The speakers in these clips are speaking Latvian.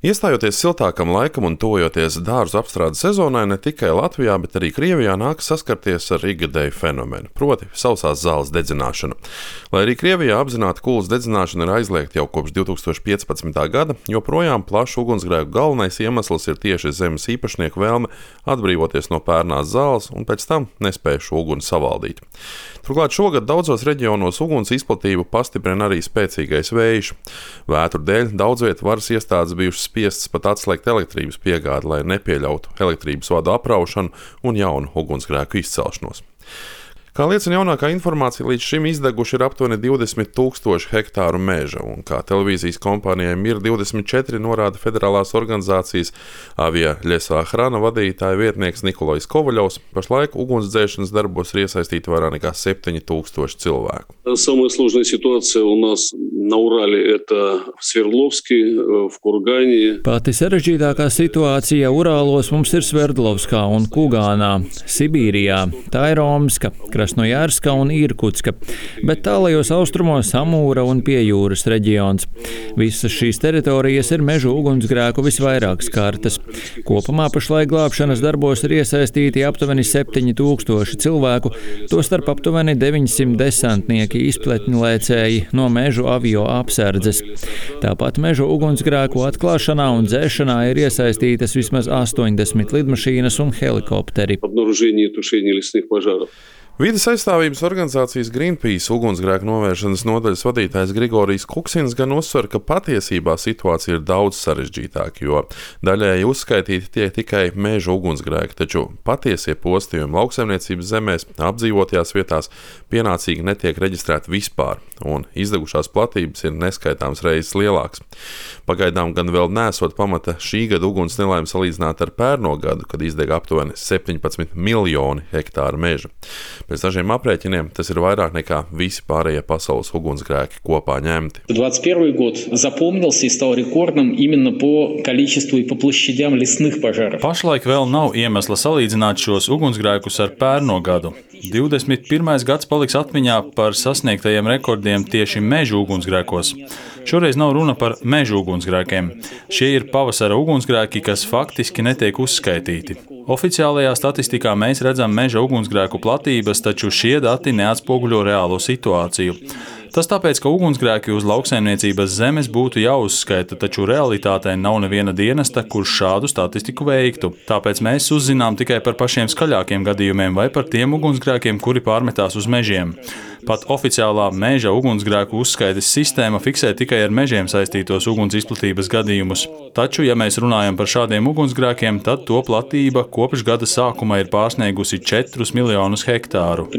Iestājoties siltākam laikam un tuvojoties dārzu apstrādes sezonai, ne tikai Latvijā, bet arī Krievijā nākas saskarties ar ikgadēju fenomenu, proti sausās zāles dedzināšanu. Lai arī Krievijā apzināta kulas dedzināšana ir aizliegta jau kopš 2015. gada, joprojām plašu ugunsgrēku galvenais iemesls ir tieši zemes īpašnieku vēlme atbrīvoties no pērnās zāles un pēc tam nespēja šo uguni savaldīt. Turklāt šogad daudzos reģionos uguns izplatību pastiprina arī spēcīgais vējš. Vētru dēļ daudz vietu varas iestādes bijušas spiestas pat atslēgt elektrības piegādi, lai nepieļautu elektrības vadu apraušanu un jaunu ugunsgrēku izcelšanos. Kā liecina jaunākā informācija, līdz šim izdeguši ir aptuveni 20,000 hektāru meža, un kā televīzijas kompānijai MIR24 norāda federālās organizācijas Avia Ļesā Hrana vadītāja vietnieks Nikolais Kovaļovs, pašlaik ugunsdzēšanas darbos ir iesaistīti vairāk nekā 7,000 cilvēku. Самая сложная ситуация у нас на Урале – это в Sverdlovsке, в Kurgāni. Pati sarežģītākā situācija Urālos mums ir Sverdlovskā un Kugānā, Sibīrijā, tā ir Omska, Krasnojārska un Irkutska, bet tālajos austrumos Amūra un Piejūras reģions. Visas šīs teritorijas ir mežu ugunsgrēku visvairāk skartas. Kopumā pašlaik glābšanas darbos ir iesaistīti aptuveni 7,000 cilvēku, tostarp aptuveni 900 desantnieki izpletņlēcēji no mežu avio apsardzes. Tāpat mežu ugunsgrēku atklāšanā un dzēšanā ir iesaistītas vismaz 80 lidmašīnas un helikopteri. Vides aizstāvības organizācijas Greenpeace ugunsgrēku novēršanas nodaļas vadītājs Grigorijs Kuksins gan uzsver, ka patiesībā situācija ir daudz sarežģītāka, jo daļēji uzskaitīti tiek tikai meža ugunsgrēki, taču patiesie postījumi lauksaimniecības zemēs, apdzīvotajās vietās pienācīgi netiek reģistrēti vispār, un izdegušās platības ir neskaitāms reizes lielāks. Pagaidām gan vēl nesot pamata šī gada uguns nelaimes salīdzināt ar pērno gadu, kad izdega aptuveni 17 miljoni hektāru meža. Pēc dažiem aprēķiniem tas ir vairāk nekā visi pārējie pasaules ugunsgrēki kopā ņemti. 21 год запомнился и стал рекордным именно по количеству и по площадям лесных пожаров. Pašlaik vēl nav iemesla salīdzināt šos ugunsgrēkus ar pērno gadu. 21. gads paliks atmiņā par sasniegtajiem rekordiem tieši mežu ugunsgrēkos. Šoreiz nav runa par mežu ugunsgrēkiem. Šie ir pavasara ugunsgrēki, kas faktiski netiek uzskaitīti. Oficiālajā statistikā mēs redzam meža ugunsgrēku platības, taču šie dati neatspoguļo reālo situāciju. Tas tāpēc, ka ugunsgrēki uz lauksaimniecības zemes būtu jāuzskaita, taču realitātē nav neviena dienesta, kurš šādu statistiku veiktu. Tāpēc mēs uzzinām tikai par pašiem skaļākiem gadījumiem vai par tiem ugunsgrēkiem, kuri pārmetās uz mežiem. Pat oficiālā meža ugunsgrēku uzskaites sistēma fiksē tikai ar mežiem saistītos uguns izplatības gadījumus. Taču, ja mēs runājam par šādiem ugunsgrēkiem, tad to platība kopš gada sākuma ir pārsniegusi 4 miljonus hektāru.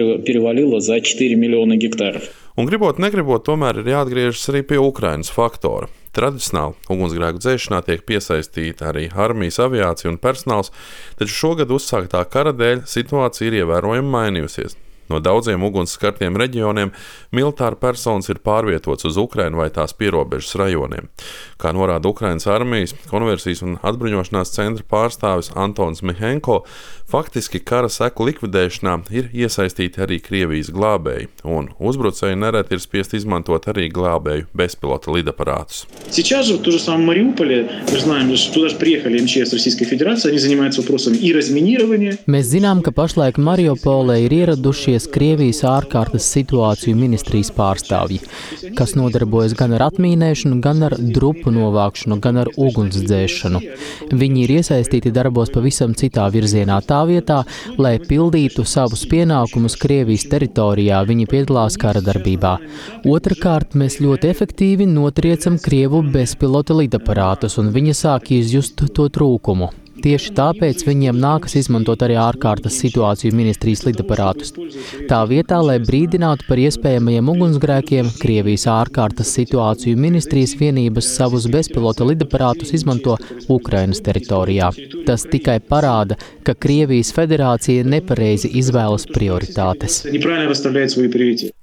Un gribot, negribot, tomēr ir jāatgriežas arī pie Ukrainas faktora. Tradicionāli ugunsgrēku dzēšanā tiek piesaistīta arī armijas aviācija un personāls, taču šogad uzsāktā kara dēļ situācija ir ievērojami mainījusies. No daudziem ugunsskartiem reģioniem militāri personas ir pārvietots uz Ukrainu vai tās pierobežas rajoniem. Kā norāda Ukrainas armijas, konversijas un atbruņošanās centra pārstāvis Antons Mihenko, faktiski kara seku likvidēšanā ir iesaistīti arī Krievijas glābēji, un uzbrucēji nereti ir spiest izmantot arī glābēju bezpilota lidaparātus. Сейчас же в том же самом Мариуполе мы знаем, что туда же приехали МЧС Российской Федерации, они занимаются вопросами и разминирования. Mēs zinām, ka pašlaik Mariupolē ir ieradušies Krievijas ārkārtas situāciju ministrijas pārstāvji, kas nodarbojas gan ar atmīnēšanu, gan ar drupu novākšanu, gan ar ugunsdzēšanu. Viņi ir iesaistīti darbos pavisam citā virzienā, tā vietā, lai pildītu savus pienākumus Krievijas teritorijā, viņi piedalās kara darbībā. Otrakārt, mēs ļoti efektīvi notriecam Krievu bezpilota lidaparātus, un viņi sāk izjust to trūkumu. Tieši tāpēc viņiem nākas izmantot arī ārkārtas situāciju ministrijas lidaparātus. Tā vietā, lai brīdinātu par iespējamajiem ugunsgrēkiem, Krievijas ārkārtas situāciju ministrijas vienības savus bezpilota lidaparātus izmanto Ukrainas teritorijā. Tas tikai parāda, ka Krievijas federācija nepareizi izvēlas prioritātes.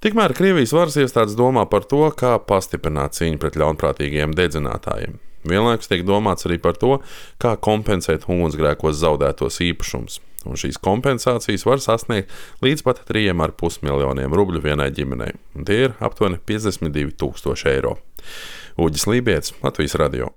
Tikmēr Krievijas varas iestādes domā par to, kā pastiprināt cīņu pret ļaunprātīgiem dedzinātājiem. Vienlaikus tiek domāts arī par to, kā kompensēt ugunsgrēkos zaudētos īpašumus. Un šīs kompensācijas var sasniegt līdz pat 3,5 miljoniem rubļu vienai ģimenei. Un tie ir aptuveni 52 000 eiro. Uģis Lībietis, Latvijas radio.